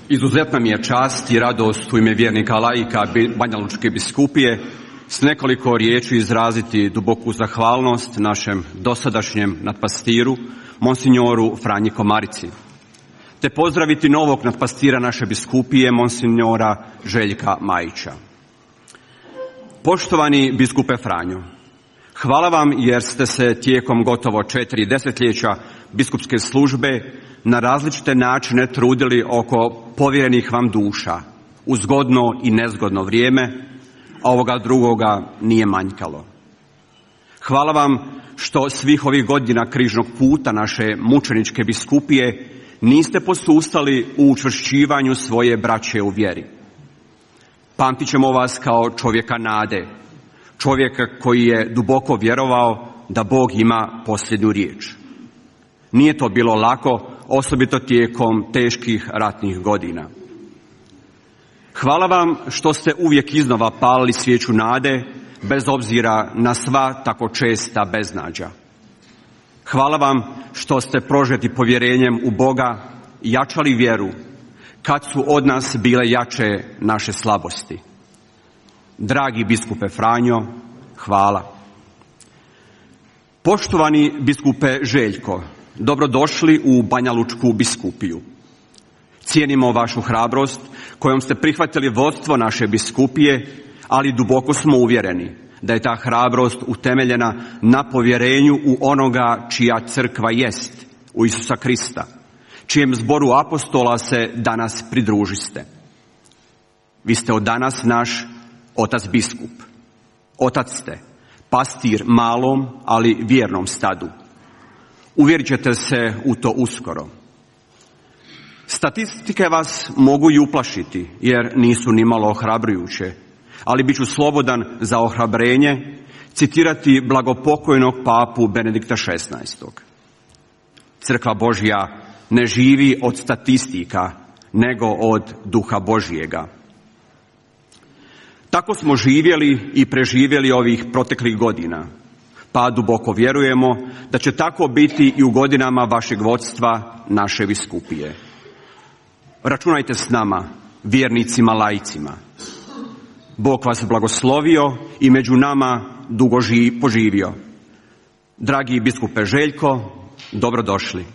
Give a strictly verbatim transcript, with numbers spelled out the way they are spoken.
Izuzetna mi je čast i radost u ime vjernika laika Banjalučke biskupije s nekoliko riječi izraziti duboku zahvalnost našem dosadašnjem nadpastiru, monsinjoru Franji Komarici, te pozdraviti novog nadpastira naše biskupije, monsinjora Željka Majića. Poštovani biskupe Franjo, hvala vam jer ste se tijekom gotovo četiri desetljeća biskupske službe na različite načine trudili oko povjerenih vam duša u zgodno i nezgodno vrijeme, a ovoga drugoga nije manjkalo. Hvala vam što svih ovih godina križnog puta naše mučeničke biskupije niste posustali u učvršćivanju svoje braće u vjeri. Pamtit ćemo vas kao čovjeka nade, čovjeka koji je duboko vjerovao da Bog ima posljednju riječ. Nije to bilo lako, osobito tijekom teških ratnih godina. Hvala vam što ste uvijek iznova palili svijeću nade, bez obzira na sva tako česta beznađa. Hvala vam što ste prožeti povjerenjem u Boga i jačali vjeru kad su od nas bile jače naše slabosti. Dragi biskupe Franjo, hvala. Poštovani biskupe Željko, dobrodošli u Banjalučku biskupiju. Cijenimo vašu hrabrost kojom ste prihvatili vodstvo naše biskupije, ali duboko smo uvjereni da je ta hrabrost utemeljena na povjerenju u onoga čija crkva jest, u Isusa Krista, čijem zboru apostola se danas pridružiste. Vi ste od danas naš otac biskup. Otac ste, pastir malom, ali vjernom stadu. Uvjerit ćete se u to uskoro. Statistike vas mogu i uplašiti, jer nisu nimalo ohrabrujuće, ali bit ću slobodan za ohrabrenje citirati blagopokojnog papu Benedikta šesnaestog. Crkva Božja ne živi od statistika, nego od duha Božjega. Tako smo živjeli i preživjeli ovih proteklih godina, pa duboko vjerujemo da će tako biti i u godinama vašeg vodstva naše biskupije. Računajte s nama, vjernicima laicima. Bog vas blagoslovio i među nama dugo poživio. Dragi biskupe Željko, dobrodošli.